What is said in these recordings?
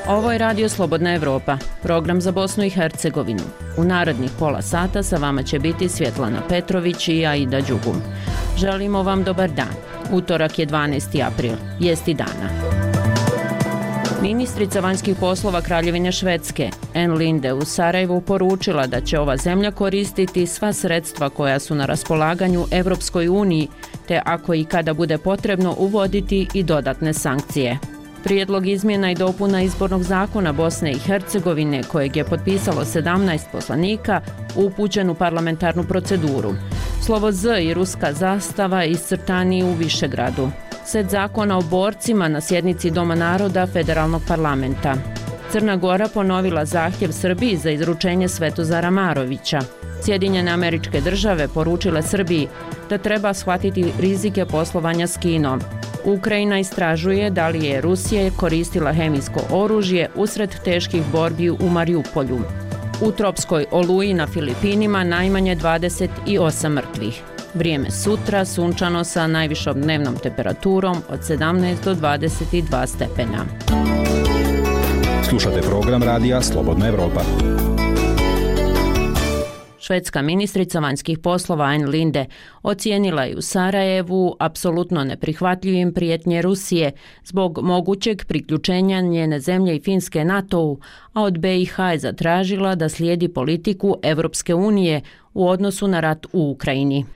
Ovo je Radio Slobodna Evropa, program za Bosnu i Hercegovinu. U narednih pola sata sa vama će biti Svjetlana Petrović i Aida Đugum. Želimo vam dobar dan. Utorak je 12. april, jesti dana. Ministrica vanjskih poslova Kraljevine Švedske, Ann Linde, u Sarajevu poručila da će ova zemlja koristiti sva sredstva koja su na raspolaganju Evropskoj uniji, te ako i kada bude potrebno uvoditi i dodatne sankcije. Prijedlog izmjena i dopuna izbornog zakona Bosne i Hercegovine, kojeg je potpisalo 17 poslanika, upućen u parlamentarnu proceduru. Slovo Z i ruska zastava iscrtani u Višegradu. Set zakona o borcima na sjednici Doma naroda Federalnog parlamenta. Crna Gora ponovila zahtjev Srbiji za izručenje Svetozara Marovića. Sjedinjene Američke Države poručile Srbiji da treba shvatiti rizike poslovanja s Kinom. Ukrajina istražuje da li je Rusija koristila hemijsko oružje usred teških borbi u Mariupolju. U tropskoj oluji na Filipinima najmanje 28 mrtvih. Vrijeme sutra sunčano sa najvišom dnevnom temperaturom od 17 do 22 stepena. Slušate program radija Slobodna Evropa. Švedska ministrica vanjskih poslova Ann Linde ocijenila je u Sarajevu apsolutno neprihvatljivim prijetnje Rusije zbog mogućeg priključenja njene zemlje i Finske NATO-u, a od BiH je zatražila da slijedi politiku Evropske unije u odnosu na rat u Ukrajini.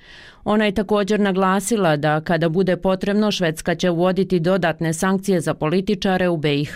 Ona je također naglasila da kada bude potrebno Švedska će uvoditi dodatne sankcije za političare u BiH.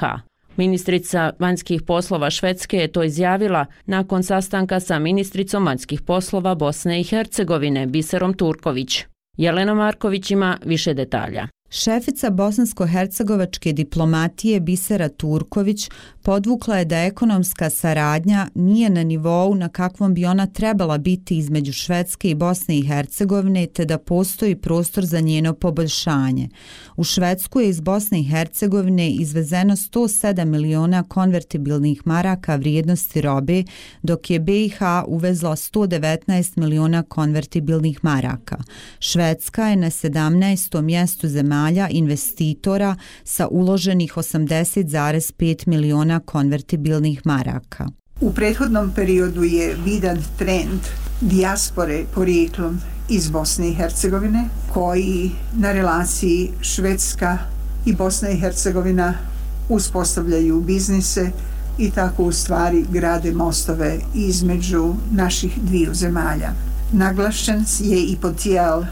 Ministrica vanjskih poslova Švedske je to izjavila nakon sastanka sa ministricom vanjskih poslova Bosne i Hercegovine Biserom Turković. Jelena Marković ima više detalja. Šefica bosansko-hercegovačke diplomatije Bisera Turković podvukla je da ekonomska saradnja nije na nivou na kakvom bi ona trebala biti između Švedske i Bosne i Hercegovine, te da postoji prostor za njeno poboljšanje. U Švedsku je iz Bosne i Hercegovine izvezeno 107 miliona konvertibilnih maraka vrijednosti robe, dok je BiH uvezla 119 miliona konvertibilnih maraka. Švedska je na 17. mjestu zemalja investitora sa uloženih 80,5 miliona konvertibilnih maraka. U prethodnom periodu je vidan trend dijaspore porijeklom iz Bosne i Hercegovine, koji na relaciji Švedska i Bosna i Hercegovina uspostavljaju biznise i tako u stvari grade mostove između naših dviju zemalja. Naglašen je i potencijal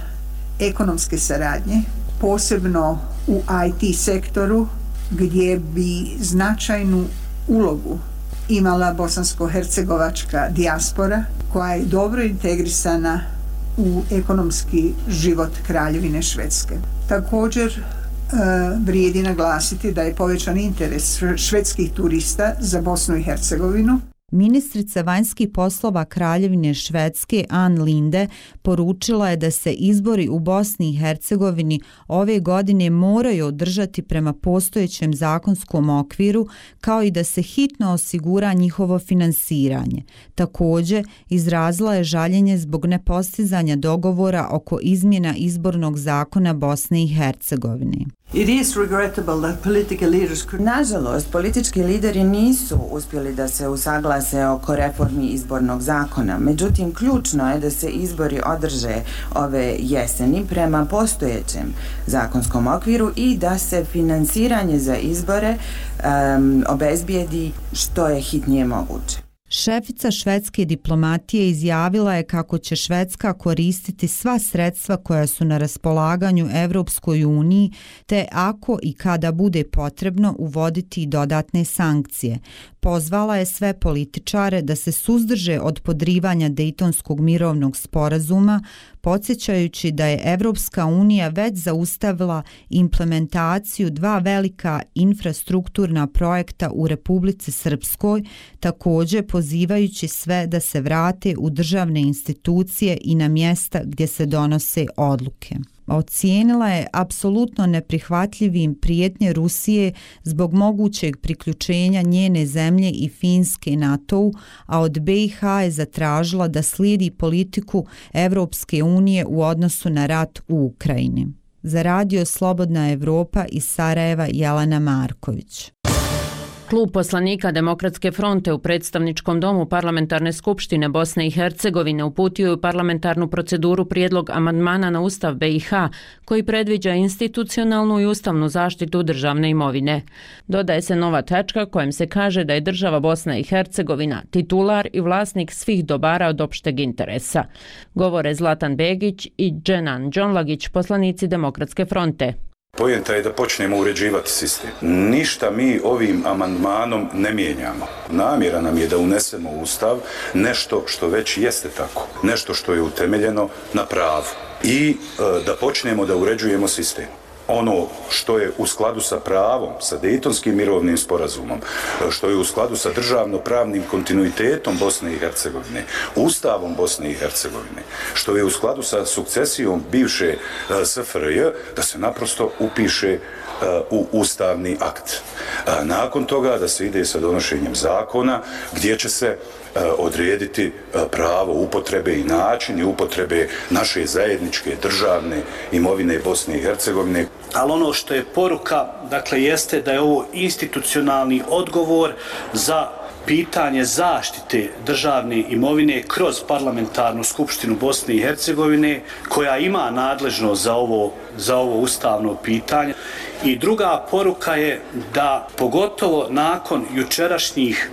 ekonomske saradnje, posebno u IT sektoru, gdje bi značajnu ulogu imala bosansko-hercegovačka dijaspora, koja je dobro integrisana u ekonomski život Kraljevine Švedske. Također vrijedi naglasiti da je povećan interes švedskih turista za Bosnu i Hercegovinu. Ministrica vanjskih poslova Kraljevine Švedske Ann Linde poručila je da se izbori u Bosni i Hercegovini ove godine moraju održati prema postojećem zakonskom okviru, kao i da se hitno osigura njihovo finansiranje. Također, izrazila je žaljenje zbog nepostizanja dogovora oko izmjena izbornog zakona Bosne i Hercegovine. Nažalost, politički lideri nisu uspjeli da se usaglase oko reformi izbornog zakona. Međutim, ključno je da se izbori održe ove jeseni prema postojećem zakonskom okviru i da se finansiranje za izbore obezbijedi što je hitnije moguće. Šefica švedske diplomatije izjavila je kako će Švedska koristiti sva sredstva koja su na raspolaganju Evropskoj uniji, te ako i kada bude potrebno uvoditi dodatne sankcije. Pozvala je sve političare da se suzdrže od podrivanja Dejtonskog mirovnog sporazuma, podsjećajući da je Evropska unija već zaustavila implementaciju dva velika infrastrukturna projekta u Republici Srpskoj. Također pozivajući sve da se vrate u državne institucije i na mjesta gdje se donose odluke. Ocijenila je apsolutno neprihvatljivim prijetnje Rusije zbog mogućeg priključenja njene zemlje i Finske NATO-u, a od BiH je zatražila da slijedi politiku Evropske unije u odnosu na rat u Ukrajini. Za Radio Slobodna Evropa iz Sarajeva Jelena Marković. Klub poslanika Demokratske fronte u predstavničkom domu Parlamentarne skupštine Bosne i Hercegovine uputio je u parlamentarnu proceduru prijedlog amandmana na Ustav BiH koji predviđa institucionalnu i ustavnu zaštitu državne imovine. Dodaje se nova tačka kojom se kaže da je država Bosna i Hercegovina titular i vlasnik svih dobara od opšteg interesa. Govore Zlatan Begić i Dženan Džonlagić, poslanici Demokratske fronte. Poenta je da počnemo uređivati sistem. Ništa mi ovim amandmanom ne mijenjamo. Namjera nam je da unesemo u Ustav nešto što već jeste tako. Nešto što je utemeljeno na pravu. I da počnemo da uređujemo sistem. Ono što je u skladu sa pravom, sa Dejtonskim mirovnim sporazumom, što je u skladu sa državno-pravnim kontinuitetom Bosne i Hercegovine, Ustavom Bosne i Hercegovine, što je u skladu sa sukcesijom bivše SFRJ, da se naprosto upiše u ustavni akt. Nakon toga da se ide sa donošenjem zakona gdje će se odrediti pravo upotrebe i načini upotrebe naše zajedničke državne imovine Bosne i Hercegovine. Ali ono što je poruka, dakle, jeste da je ovo institucionalni odgovor za pitanje zaštite državne imovine kroz parlamentarnu skupštinu Bosne i Hercegovine koja ima nadležnost za ovo ustavno pitanje. I druga poruka je da pogotovo nakon jučerašnjih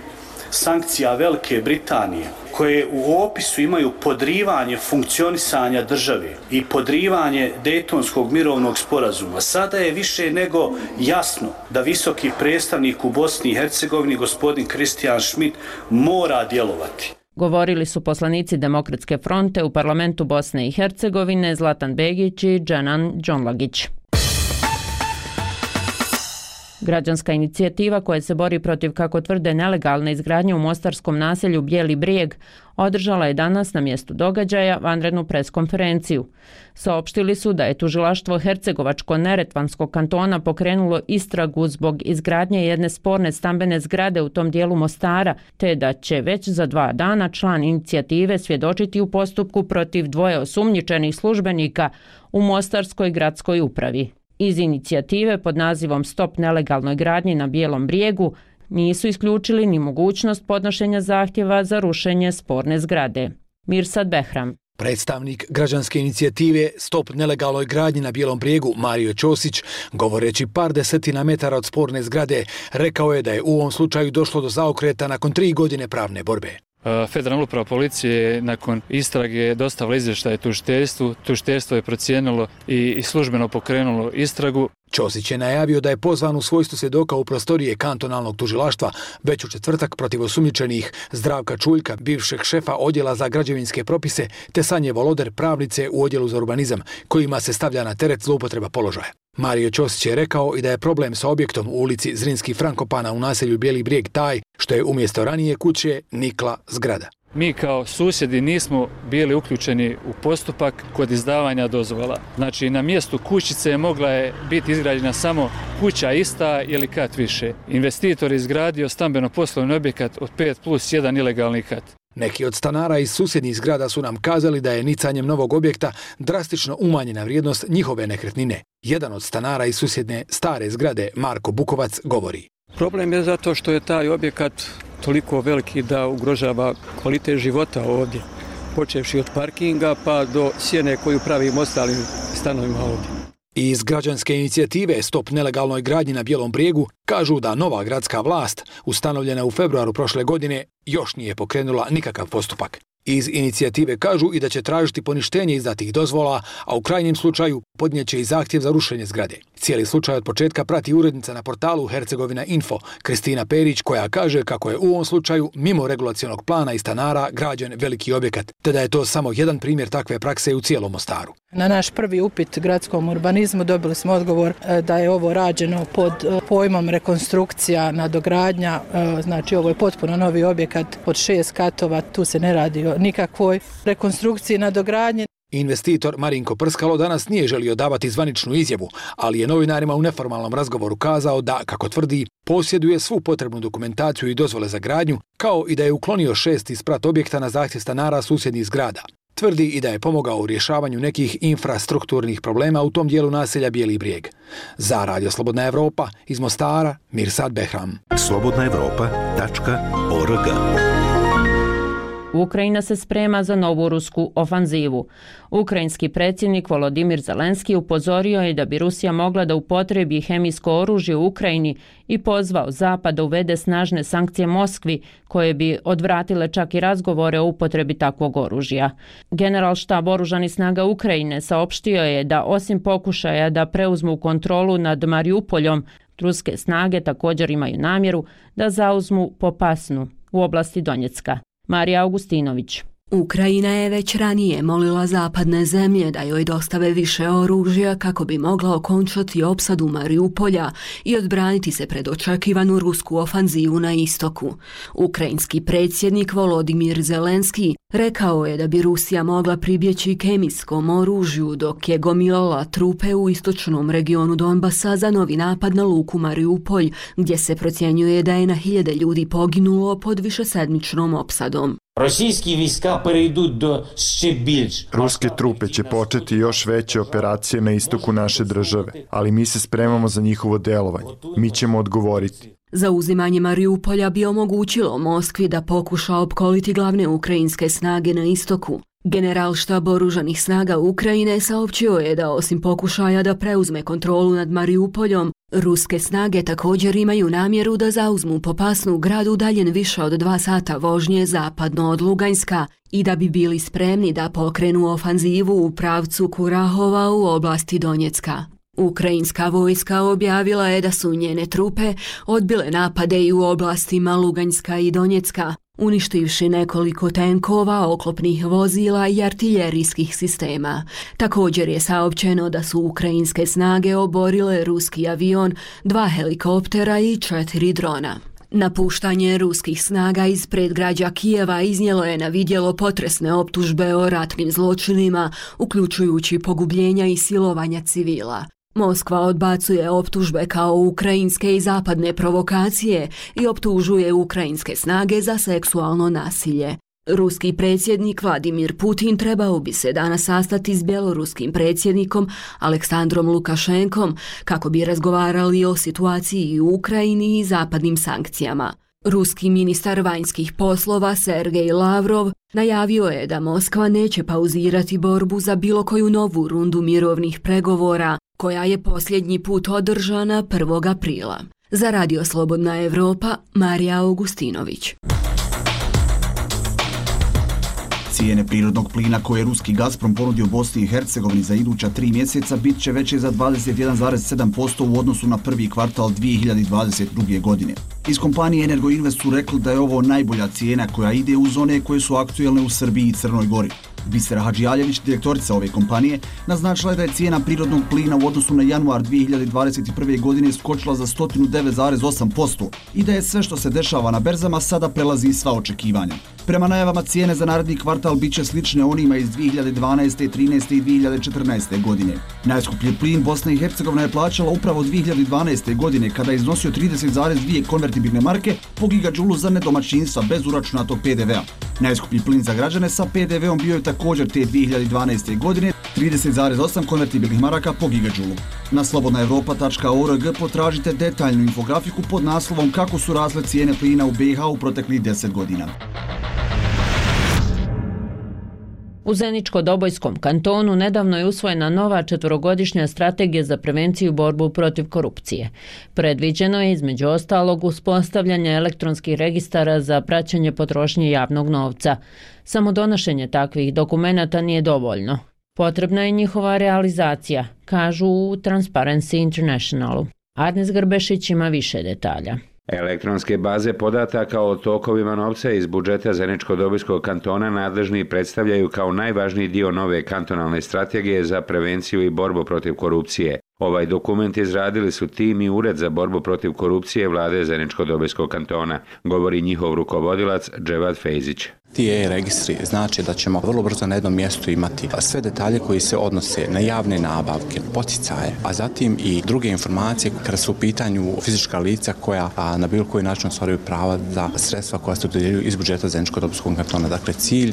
sankcija Velike Britanije, koje u opisu imaju podrivanje funkcionisanja države i podrivanje Dejtonskog mirovnog sporazuma, sada je više nego jasno da visoki predstavnik u Bosni i Hercegovini, gospodin Kristijan Schmidt, mora djelovati. Govorili su poslanici Demokratske fronte u parlamentu Bosne i Hercegovine Zlatan Begić i Dženan Džonlagić. Građanska inicijativa koja se bori protiv, kako tvrde, nelegalne izgradnje u mostarskom naselju Bijeli Brijeg održala je danas na mjestu događaja vanrednu preskonferenciju. Saopštili su da je tužilaštvo Hercegovačko-Neretvanskog kantona pokrenulo istragu zbog izgradnje jedne sporne stambene zgrade u tom dijelu Mostara, te da će već za 2 dana član inicijative svjedočiti u postupku protiv 2 osumnjičenih službenika u Mostarskoj gradskoj upravi. Iz inicijative pod nazivom Stop nelegalnoj gradnji na Bijelom Brijegu nisu isključili ni mogućnost podnošenja zahtjeva za rušenje sporne zgrade. Mirsad Behram. Predstavnik građanske inicijative Stop nelegalnoj gradnji na Bijelom Brijegu Mario Ćosić, govoreći par desetina metara od sporne zgrade, rekao je da je u ovom slučaju došlo do zaokreta nakon 3 godine pravne borbe. Federalna uprava policije nakon istrage dostavila izvještaj tužiteljstvu. Tužiteljstvo je procijenilo i službeno pokrenulo istragu. Ćosić je najavio da je pozvan u svojstvu svjedoka u prostorije kantonalnog tužilaštva već u četvrtak protiv osumnjičenih Zdravka Čuljka, bivšeg šefa odjela za građevinske propise, te Sanje Voloder, pravnice u odjelu za urbanizam, kojima se stavlja na teret zloupotreba položaja. Mario Ćosić je rekao i da je problem sa objektom u ulici Zrinski Frankopana u naselju Bijeli Brijeg taj što je umjesto ranije kuće nikla zgrada. Mi kao susjedi nismo bili uključeni u postupak kod izdavanja dozvola. Znači, na mjestu kućice mogla je biti izgrađena samo kuća ista ili kat više. Investitor je izgradio stambeno-poslovni objekat od 5+1 ilegalni kat. Neki od stanara iz susjednih zgrada su nam kazali da je nicanjem novog objekta drastično umanjena vrijednost njihove nekretnine. Jedan od stanara iz susjedne stare zgrade, Marko Bukovac, govori. Problem je zato što je taj objekat toliko veliki da ugrožava kvalitet života ovdje, počevši od parkinga pa do sjene koju pravimo ostalim stanovima ovdje. Iz građanske inicijative Stop nelegalnoj gradnji na Bijelom Brijegu kažu da nova gradska vlast, ustanovljena u februaru prošle godine, još nije pokrenula nikakav postupak. Iz inicijative kažu i da će tražiti poništenje izdatih dozvola, a u krajnjem slučaju podnijeće i zahtjev za rušenje zgrade. Cijeli slučaj od početka prati urednica na portalu Hercegovina Info, Kristina Perić, koja kaže kako je u ovom slučaju mimo regulacionog plana i stanara građen veliki objekat, te da je to samo jedan primjer takve prakse u cijelom Mostaru. Na naš prvi upit gradskom urbanizmu dobili smo odgovor da je ovo rađeno pod pojmom rekonstrukcija, nadogradnja, znači ovo je potpuno novi objekat od 6 katova, tu se ne radi o nikakvoj rekonstrukciji, nadogradnji. Investitor Marinko Prskalo danas nije želio davati zvaničnu izjavu, ali je novinarima u neformalnom razgovoru kazao da, kako tvrdi, posjeduje svu potrebnu dokumentaciju i dozvole za gradnju, kao i da je uklonio 6 isprat objekta na zahtjev stanara susjednih zgrada. Tvrdi i da je pomogao u rješavanju nekih infrastrukturnih problema u tom dijelu naselja Bijeli Brijeg. Za Radio Slobodna Evropa iz Mostara, Mirsad Behram. slobodnaevropa.org. Ukrajina se sprema za novu rusku ofanzivu. Ukrajinski predsjednik Volodimir Zelenski upozorio je da bi Rusija mogla da upotrebi hemijsko oružje u Ukrajini i pozvao Zapad da uvede snažne sankcije Moskvi koje bi odvratile čak i razgovore o upotrebi takvog oružja. Generalštab oružanih snaga Ukrajine saopštio je da osim pokušaja da preuzmu kontrolu nad Mariupoljom, ruske snage također imaju namjeru da zauzmu Popasnu u oblasti Donjecka. Marija Augustinović. Ukrajina je već ranije molila zapadne zemlje da joj dostave više oružja kako bi mogla okončati opsadu Mariupolja i odbraniti se pred očekivanu rusku ofanzivu na istoku. Ukrajinski predsjednik Volodimir Zelenski rekao je da bi Rusija mogla pribjeći kemijskom oružju dok je gomilala trupe u istočnom regionu Donbasa za novi napad na luku Mariupolj, gdje se procjenjuje da je na 1000 ljudi poginulo pod višesedmičnom opsadom. Ruske trupe će početi još veće operacije na istoku naše države, ali mi se spremamo za njihovo delovanje. Mi ćemo odgovoriti. Zauzimanje Mariupolja bi omogućilo Moskvi da pokuša opkoliti glavne ukrajinske snage na istoku. Generalštab oružanih snaga Ukrajine saopćio je da osim pokušaja da preuzme kontrolu nad Mariupoljom, ruske snage također imaju namjeru da zauzmu Popasnu, grad udaljen više od 2 sata vožnje zapadno od Luganska, i da bi bili spremni da pokrenu ofanzivu u pravcu Kurahova u oblasti Donjecka. Ukrajinska vojska objavila je da su njene trupe odbile napade i u oblastima Luganjska i Donjecka, uništivši nekoliko tenkova, oklopnih vozila i artiljerijskih sistema. Također je saopćeno da su ukrajinske snage oborile ruski avion, 2 helikoptera i 4 drona. Napuštanje ruskih snaga iz predgrađa Kijeva iznijelo je na vidjelo potresne optužbe o ratnim zločinima, uključujući pogubljenja i silovanja civila. Moskva odbacuje optužbe kao ukrajinske i zapadne provokacije i optužuje ukrajinske snage za seksualno nasilje. Ruski predsjednik Vladimir Putin trebao bi se danas sastati s bjeloruskim predsjednikom Aleksandrom Lukašenkom kako bi razgovarali o situaciji u Ukrajini i zapadnim sankcijama. Ruski ministar vanjskih poslova Sergej Lavrov najavio je da Moskva neće pauzirati borbu za bilo koju novu rundu mirovnih pregovora, koja je posljednji put održana 1. aprila. Za Radio Slobodna Evropa, Marija Augustinović. Cijene prirodnog plina koje je ruski Gazprom ponudio Bosni i Hercegovini za iduća 3 mjeseca bit će veće za 21,7% u odnosu na prvi kvartal 2022. godine. Iz kompanije Energoinvest su rekli da je ovo najbolja cijena koja ide uz one koje su aktuelne u Srbiji i Crnoj Gori. Bisera Hadžijaljević, direktorica ove kompanije, naznačila je da je cijena prirodnog plina u odnosu na januar 2021. godine skočila za 109,8% i da je sve što se dešava na berzama sada prelazi sva očekivanja. Prema najavama cijene za naredni kvartal bit će slične onima iz 2012., 13. i 2014. godine. Najskuplji plin Bosna i Hercegovina je plaćala upravo 2012. godine kada je iznosio 30,2 konvertibilne marke po gigadžulu za nedomaćinstva bez uračunatog PDV-a. Najskuplji plin za građane sa PDV-om bio je također te 2012. godine 30,8 konvertibilnih maraka po gigadžulu. Na slobodnaevropa.org potražite detaljnu infografiku pod naslovom kako su rasle cijene plina u BiH u proteklih 10 godina. U Zeničko-Dobojskom kantonu nedavno je usvojena nova 4-godišnja strategija za prevenciju i borbu protiv korupcije. Predviđeno je između ostalog uspostavljanje elektronskih registara za praćenje potrošnje javnog novca. Samo donošenje takvih dokumenata nije dovoljno. Potrebna je njihova realizacija, kažu u Transparency Internationalu. Arnes Grbešić ima više detalja. Elektronske baze podataka o tokovima novca iz budžeta Zeničko-Dobojskog kantona nadležni predstavljaju kao najvažniji dio nove kantonalne strategije za prevenciju i borbu protiv korupcije. Ovaj dokument izradili su tim i Ured za borbu protiv korupcije vlade Zeničko-Dobojskog kantona, govori njihov rukovodilac Dževad Fejzić. Ti e-registri znači da ćemo vrlo brzo na jednom mjestu imati sve detalje koji se odnose na javne nabavke, poticaje, a zatim i druge informacije kada su u pitanju fizička lica koja na bilo koji način ostvaruju prava za sredstva koja se dodjeljuju iz budžeta Zeničko-Dobojskog kantona. Dakle, cilj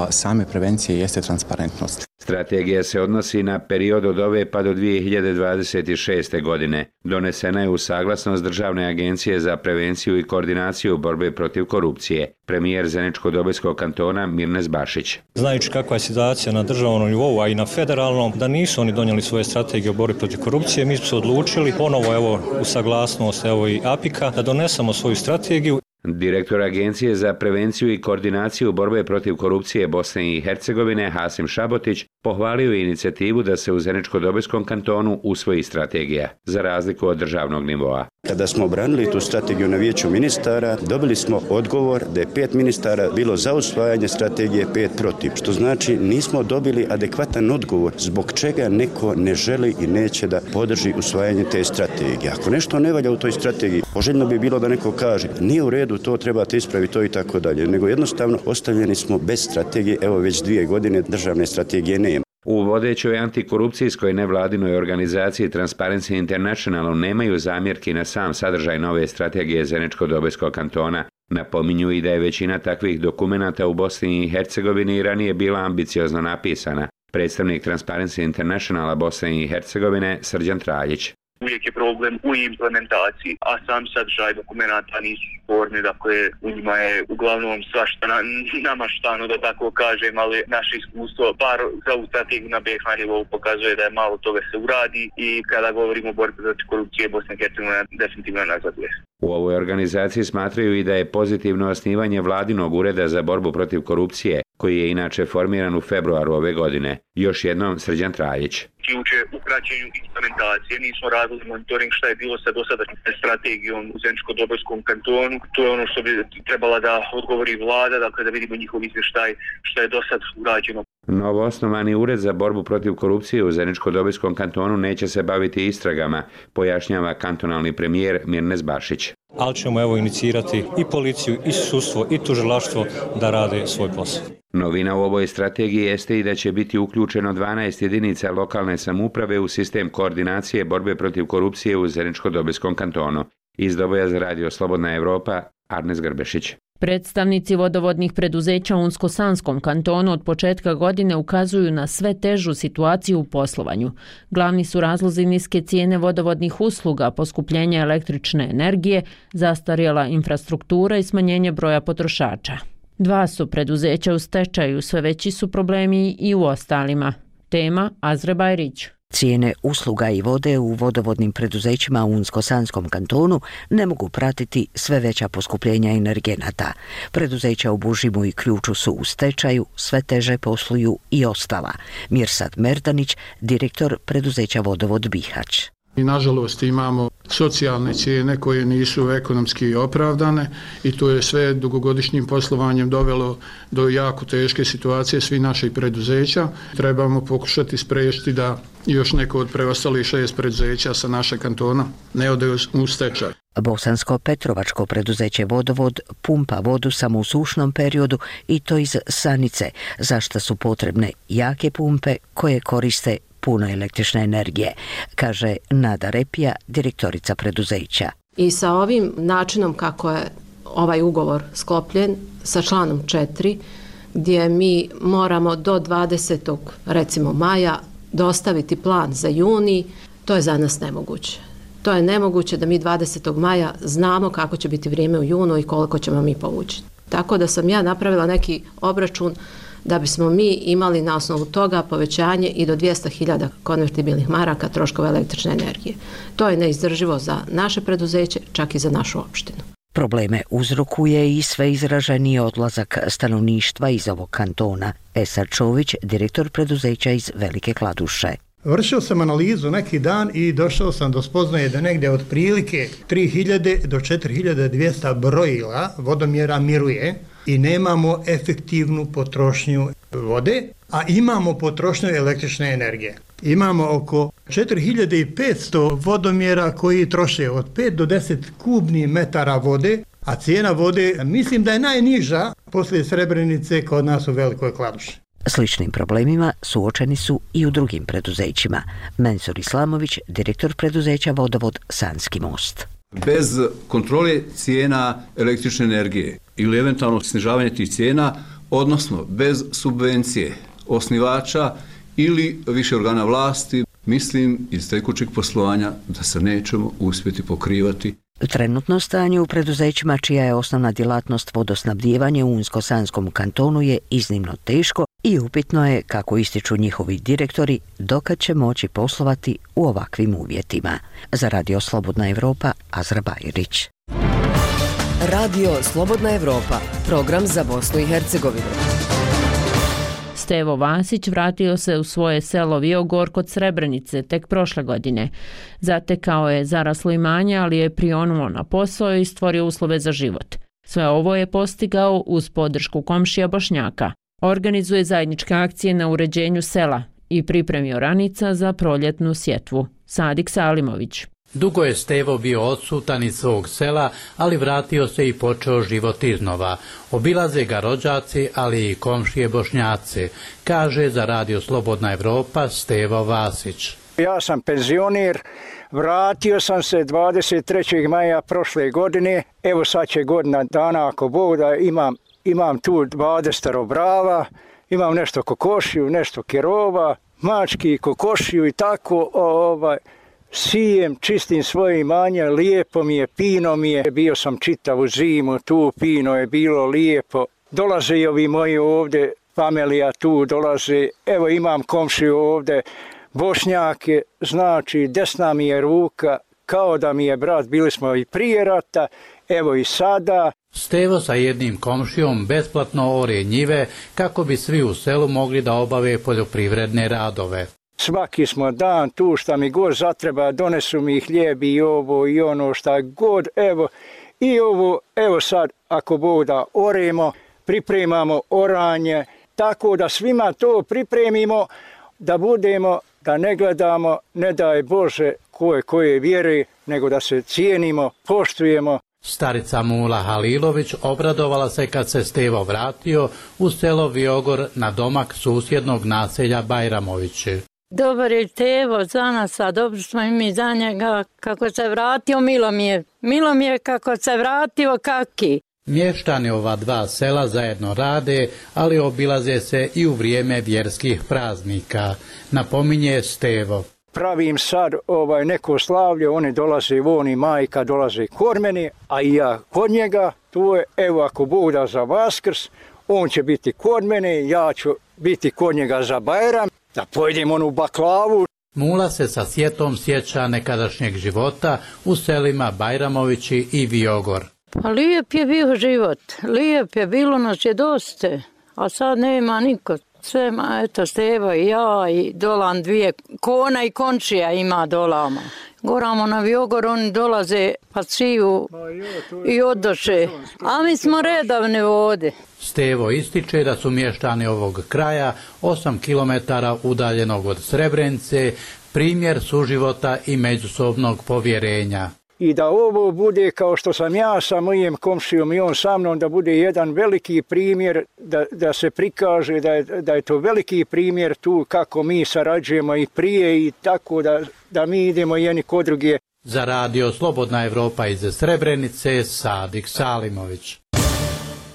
same prevencije jeste transparentnost. Strategija se odnosi na period od ove pa do 2026. godine. Donesena je u saglasnost Državne agencije za prevenciju i koordinaciju borbe protiv korupcije. Premijer Zeničko-Dobojskog kantona Mirnes Bašić. Znajući kakva je situacija na državnom nivou, a i na federalnom, da nisu oni donijeli svoje strategije o borbi protiv korupcije, mi smo se odlučili ponovo u saglasnost i APIK-a da donesemo svoju strategiju. Direktor Agencije za prevenciju i koordinaciju borbe protiv korupcije Bosne i Hercegovine Hasim Šabotić pohvalio je inicijativu da se u Zeničko-Dobojskom kantonu usvoji strategija, za razliku od državnog nivoa. Kada smo obranili tu strategiju na vijeću ministara, dobili smo odgovor da je 5 ministara bilo za usvajanje strategije, 5 protiv. Što znači nismo dobili adekvatan odgovor zbog čega neko ne želi i neće da podrži usvajanje te strategije. Ako nešto ne valja u toj strategiji, poželjno bi bilo da neko kaže nije u redu, to trebate ispraviti, to i tako dalje. Nego jednostavno ostavljeni smo bez strategije, evo već 2 godine državne strategije nema. U vodećoj antikorupcijskoj nevladinoj organizaciji Transparency Internationalu nemaju zamjerki na sam sadržaj nove strategije Zeničko-Dobojskog kantona. Napominju i da je većina takvih dokumenata u Bosni i Hercegovini ranije bila ambiciozno napisana. Predstavnik Transparency Internationala Bosne i Hercegovine Srđan Traljić. Uvijek je problem u implementaciji, a sam sadržaj dokumenta nisu sporni, dakle u njima je uglavnom svašta namaštano, da tako kažem, ali naše iskustvo, bar za ovu strategiju na BiH nivou pokazuje da je malo toga se uradi i kada govorimo o borbi protiv korupcije, Bosna i Hercegovina definitivno nazaduje. U ovoj organizaciji smatraju i da je pozitivno osnivanje vladinog ureda za borbu protiv korupcije, koji je inače formiran u februaru ove godine. Još jednom Srđan Traljić. Ključe u praćenju implementacije. Mi smo radili monitoring šta je bilo sa dosadašnjom strategijom u Zeničko-Dobojskom kantonu. To je ono što bi trebala da odgovori vlada, dakle da vidimo njihov izvještaj šta je do sad urađeno. Novoosnovani ured za borbu protiv korupcije u Zeničko-Dobojskom kantonu neće se baviti istragama, pojašnjava kantonalni premijer Mirnes Bašić. Ali ćemo inicirati i policiju, i sudstvo, i tužilaštvo da rade svoj posao. Novina u ovoj strategiji jeste i da će biti uključeno 12 jedinica lokalne samouprave u sistem koordinacije borbe protiv korupcije u Zeničko-Dobojskom kantonu. Iz Doboja za Radio Slobodna Evropa, Arnes Grbešić. Predstavnici vodovodnih preduzeća u Unsko-Sanskom kantonu od početka godine ukazuju na sve težu situaciju u poslovanju. Glavni su razlozi niske cijene vodovodnih usluga, poskupljenja električne energije, zastarjela infrastruktura i smanjenje broja potrošača. 2 su preduzeća u stečaju, sve veći su problemi i u ostalima. Tema Azre Bajrić. Cijene usluga i vode u vodovodnim preduzećima u Unsko-Sanskom kantonu ne mogu pratiti sve veća poskupljenja energenata. Preduzeća u Bužimu i Ključu su u stečaju, sve teže posluju i ostala. Mirsad Merdanić, direktor preduzeća Vodovod Bihać. I nažalost imamo socijalne cijene koje nisu ekonomski opravdane i to je sve dugogodišnjim poslovanjem dovelo do jako teške situacije svih naših preduzeća. Trebamo pokušati spriječiti da još neko od preostalih 6 preduzeća sa našeg kantona ne ode u stečaj. Bosansko-Petrovačko preduzeće Vodovod pumpa vodu samo u sušnom periodu i to iz Sanice, za što su potrebne jake pumpe koje koriste puno električne energije, kaže Nada Repija, direktorica preduzeća. I sa ovim načinom kako je ovaj ugovor sklopljen, sa članom 4, gdje mi moramo do 20. recimo maja dostaviti plan za juni, to je za nas nemoguće. To je nemoguće da mi 20. maja znamo kako će biti vrijeme u junu i koliko ćemo mi povući. Tako da sam ja napravila neki obračun da bismo mi imali na osnovu toga povećanje i do 200.000 konvertibilnih maraka troškova električne energije. To je neizdrživo za naše preduzeće, čak i za našu opštinu. Probleme uzrokuje i sve izraženiji odlazak stanovništva iz ovog kantona. Esad Čović, direktor preduzeća iz Velike Kladuše. Vršio sam analizu neki dan i došao sam do spoznaje da negdje otprilike 3000 do 4200 brojila vodomjera miruje i nemamo efektivnu potrošnju vode, a imamo potrošnju električne energije. Imamo oko 4500 vodomjera koji troše od 5 do 10 kubnih metara vode, a cijena vode mislim da je najniža poslije Srebrenice kod nas u Velikoj Kladuši. Sličnim problemima suočeni su i u drugim preduzećima. Mensur Islamović, direktor preduzeća Vodovod Sanski most. Bez kontrole cijena električne energije ili eventualno snižavanje tih cijena, odnosno bez subvencije osnivača ili više organa vlasti, mislim iz tekućeg poslovanja da se nećemo uspjeti pokrivati. Trenutno stanje u preduzećima čija je osnovna djelatnost vodosnabdijevanje u Unsko-Sanskom kantonu je iznimno teško i upitno je, kako ističu njihovi direktori, dokad će moći poslovati u ovakvim uvjetima. Za Radio Slobodna Evropa, Azra Bajerić. Radio Slobodna Evropa, program za Bosnu i Hercegovinu. Stevo Vasić vratio se u svoje selo Viogor kod Srebrenice tek prošle godine. Zatekao je zaraslo imanje, ali je prionuo na posao i stvorio uslove za život. Sve ovo je postigao uz podršku komšija Bošnjaka. Organizuje zajedničke akcije na uređenju sela i pripremi oranica za proljetnu sjetvu. Sadik Salimović. Dugo je Stevo bio odsutan iz svog sela, ali vratio se i počeo život iznova. Obilaze ga rođaci, ali i komšije Bošnjaci, kaže za Radio Slobodna Evropa Stevo Vasić. Ja sam penzioner, vratio sam se 23. maja prošle godine, evo sad će godina dana ako Bog da imam tu 20 brava, imam nešto kokošiju, nešto kerova, mački, kokošiju i tako, sijem, čistim svoje imanje, lijepo mi je, pino mi je, bio sam čitavu zimu, tu pino je bilo lijepo, dolaze i ovi moji ovdje, familija tu dolaze, evo imam komšiju ovdje, Bošnjake, znači desna mi je ruka, kao da mi je brat, bili smo i prije rata, evo i sada. Stevo sa jednim komšijom besplatno ore njive kako bi svi u selu mogli da obave poljoprivredne radove. Svaki smo dan tu šta mi god zatreba, donesu mi hljeb i ovo i ono šta god, evo i ovo, evo sad ako Bog da oremo, pripremamo oranje, tako da svima to pripremimo, da budemo, da ne gledamo, ne daj Bože koje vjere, nego da se cijenimo, poštujemo. Starica Mula Halilović obradovala se kad se Stevo vratio u selo Viogor na domak susjednog naselja Bajramovići. Dobar je Stevo za nas, a dobro smo i mi za njega. Kako se vratio, milo mi je kako se vratio, kaki. Mještani ova dva sela zajedno rade, ali obilaze se i u vrijeme vjerskih praznika, napominje Stevo. Pravim sad neko slavlje, oni dolaze, on i majka dolaze kod mene, a i ja kod njega. Tu je, evo ako Bog da za Vaskrs, on će biti kod mene, ja ću biti kod njega za Bajram, da pojedem onu baklavu. Mula se sa sjetom sjeća nekadašnjeg života u selima Bajramovići i Viogor. Pa lijep je bio život, lijep je, bilo nas je dosta, a sad nema niko. Sve, eto, Stevo i ja i dolan dvije kona i končija ima dolama. Goramo na Viogor, oni dolaze pa ciju i odoše, a mi smo redavne vode. Stevo ističe da su mještani ovog kraja 8 km udaljenog od Srebrenice primjer suživota i međusobnog povjerenja. I da ovo bude kao što sam ja sa mojim komšijom i on sa mnom, da bude jedan veliki primjer, da se prikaže da je to veliki primjer tu kako mi sarađujemo i prije i tako da mi idemo jedni kod druge. Za Radio Slobodna Evropa iz Srebrenice, Sadik Salimović.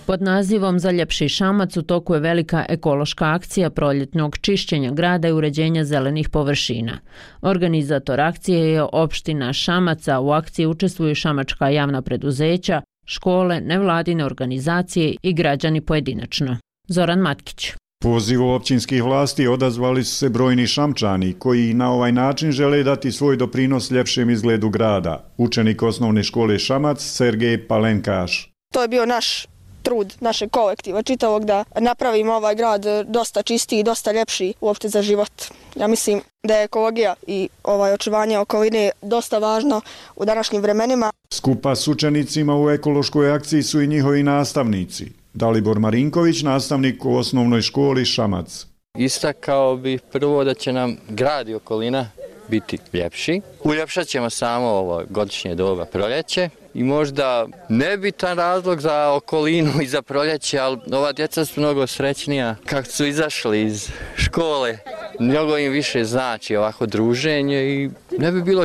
Pod nazivom Za ljepši Šamac u toku je velika ekološka akcija proljetnog čišćenja grada i uređenja zelenih površina. Organizator akcije je opština Šamaca, u akciji učestvuju šamačka javna preduzeća, škole, nevladine organizacije i građani pojedinačno. Zoran Matkić. Pozivu općinskih vlasti odazvali su se brojni Šamčani koji na ovaj način žele dati svoj doprinos ljepšem izgledu grada. Učenik osnovne škole Šamac Sergej Palenkaš. To je bio naš trud našeg kolektiva čitavog da napravimo ovaj grad dosta čistiji i dosta ljepši uopšte za život. Ja mislim da je ekologija i očuvanje okoline dosta važno u današnjim vremenima. Skupa s učenicima u ekološkoj akciji su i njihovi nastavnici. Dalibor Marinković, nastavnik u osnovnoj školi Šamac. Istakao bih prvo da će nam grad i okolina biti ljepši. Uljepšat ćemo samo ovo godišnje doba proljeće i možda nebitan razlog za okolinu i za proljeće, ali ova djeca su mnogo srećnija kako su izašli iz škole. Mnogo im više znači ovako druženje i ne bi bilo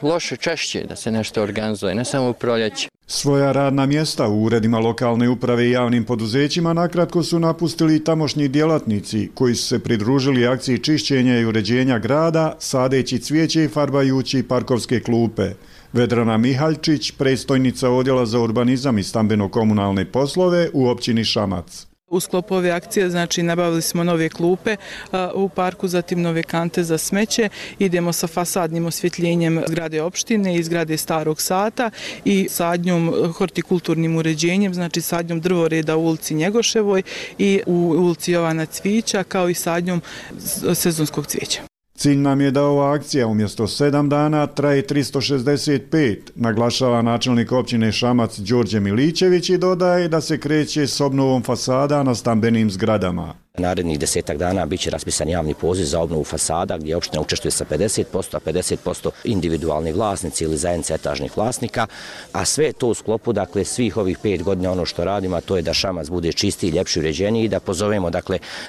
loše češće da se nešto organizuje, ne samo u proljeće. Svoja radna mjesta u uredima lokalne uprave i javnim poduzećima nakratko su napustili tamošnji djelatnici koji su se pridružili akciji čišćenja i uređenja grada, sadeći cvijeće i farbajući parkovske klupe. Vedrana Mihaljčić, predstojnica Odjela za urbanizam i stambeno-komunalne poslove u općini Šamac. U sklopu ove akcije nabavili smo nove klupe u parku, zatim nove kante za smeće, idemo sa fasadnim osvjetljenjem zgrade opštine i zgrade Starog Sata i sadnjom hortikulturnim uređenjem, sadnjom drvoreda u ulici Njegoševoj i u ulici Jovana Cvića, kao i sadnjom sezonskog cvijeća. Cilj nam je da ova akcija umjesto 7 dana traje 365, naglašava načelnik općine Šamac Đorđe Milićević i dodaje da se kreće s obnovom fasada na stambenim zgradama. Narednih 10 dana bit će raspisan javni poziv za obnovu fasada gdje opština učestvuje sa 50%, a 50% individualni vlasnici ili zajednica etažnih vlasnika, a sve to u sklopu svih ovih 5 godina ono što radimo, a to je da Šamac bude čistiji, ljepši, uređeniji i da pozovemo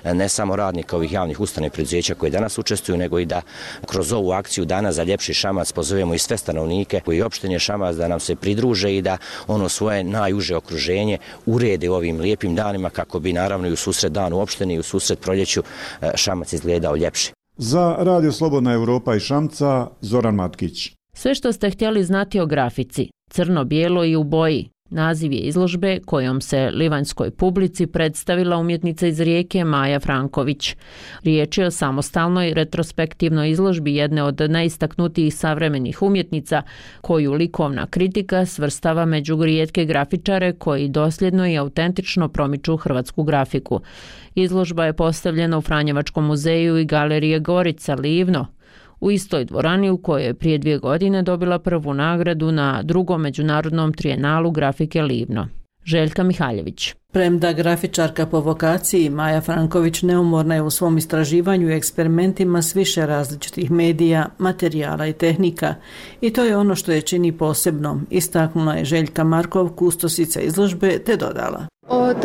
ne samo radnika ovih javnih ustanova i preduzeća koji danas učestvuju, nego i da kroz ovu akciju Dana za ljepši Šamac pozovemo i sve stanovnike koji opštine Šamac da nam se pridruže i da ono svoje najuže okruženje urede ovim lijepim danima kako bi naravno i u susret danu opštine u susret proljeću Šamac izgledao ljepši. Za Radio Slobodna Europa i Šamca, Zoran Matkić. Sve što ste htjeli znati o grafici, crno, bijelo i u boji. Naziv je izložbe kojom se livanjskoj publici predstavila umjetnica iz Rijeke Maja Franković. Riječ je o samostalnoj retrospektivnoj izložbi jedne od najistaknutijih savremenih umjetnica koju likovna kritika svrstava među rijetke grafičare koji dosljedno i autentično promiču hrvatsku grafiku. Izložba je postavljena u Franjevačkom muzeju i galerije Gorica Livno, u istoj dvorani u kojoj je prije 2 godine dobila prvu nagradu na 2. međunarodnom trijenalu grafike Livno. Željka Mihaljević. Premda grafičarka po vokaciji, Maja Franković neumorna je u svom istraživanju i eksperimentima s više različitih medija, materijala i tehnika. I to je ono što je čini posebnom, istaknula je Željka Markov, kustosica izložbe, te dodala. Od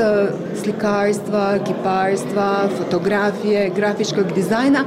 slikarstva, kiparstva, fotografije, grafičkog dizajna,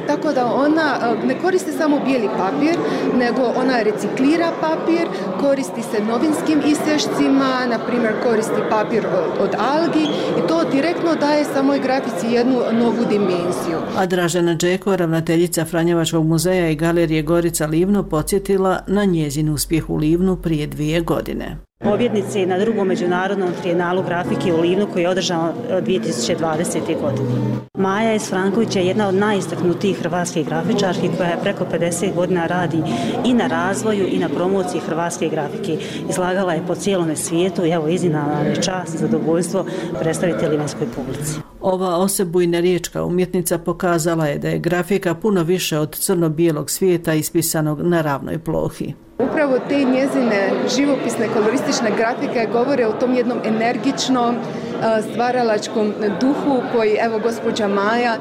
tako da ona ne koristi samo bijeli papir, nego ona reciklira papir, koristi se novinskim isječcima, na primjer koristi papir od algi i to direktno daje samoj grafici jednu novu dimenziju. A Dražena Džeko, ravnateljica Franjevačkog muzeja i galerije Gorica Livno, podsjetila na njezin uspjeh u Livnu prije 2 godine. Pobjednici na 2. međunarodnom trijenalu grafike u Livnu koji je održan 2020. godine. Maja Franković je jedna od najistaknutijih hrvatskih grafičarki koja je preko 50 godina radi i na razvoju i na promociji hrvatske grafike. Izlagala je po cijelome svijetu i evo iznimna je čast i zadovoljstvo predstaviti livanjskoj publici. Ova osebujna riječka umjetnica pokazala je da je grafika puno više od crno-bijelog svijeta ispisanog na ravnoj plohi. Upravo te njezine živopisne koloristične grafike govore o tom jednom energičnom stvaralačkom duhu koji evo gospođa Maja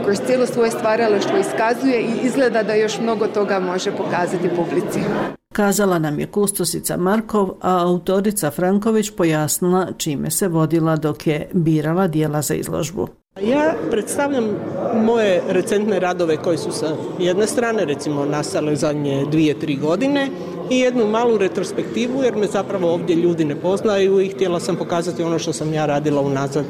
kroz cijelo svoje stvaralaštvo iskazuje i izgleda da još mnogo toga može pokazati publici. Kazala nam je kustosica Markov, a autorica Franković pojasnila čime se vodila dok je birala dijela za izložbu. Ja predstavljam moje recentne radove koji su sa jedne strane recimo nastale zadnje 2-3 godine i jednu malu retrospektivu jer me zapravo ovdje ljudi ne poznaju i htjela sam pokazati ono što sam ja radila unazad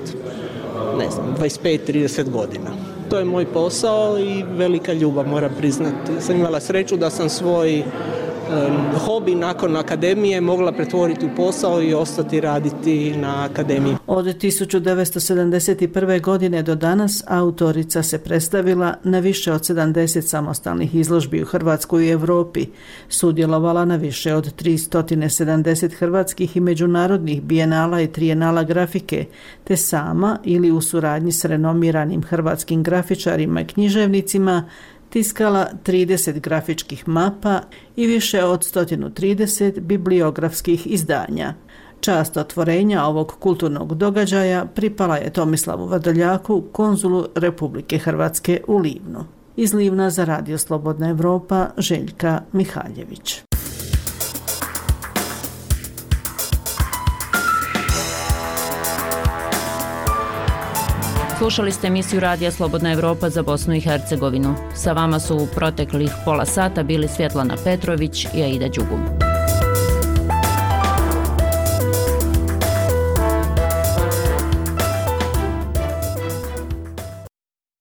25-30 godina. To je moj posao i velika ljubav, moram priznati. Sam imala sreću da sam svoj hobi nakon akademije mogla pretvoriti u posao i ostati raditi na akademiji. Od 1971. godine do danas autorica se predstavila na više od 70 samostalnih izložbi u Hrvatskoj i Europi, sudjelovala na više od 370 hrvatskih i međunarodnih bijenala i trijenala grafike, te sama ili u suradnji s renomiranim hrvatskim grafičarima i književnicima tiskala 30 grafičkih mapa i više od 130 bibliografskih izdanja. Čast otvorenja ovog kulturnog događaja pripala je Tomislavu Vrdoljaku, konzulu Republike Hrvatske u Livnu. Iz Livna za Radio Slobodna Evropa, Željka Mihaljević. Slušali ste emisiju Radija Slobodna Evropa za Bosnu i Hercegovinu. Sa vama su u proteklih pola sata bili Svjetlana Petrović i Aida Đugum.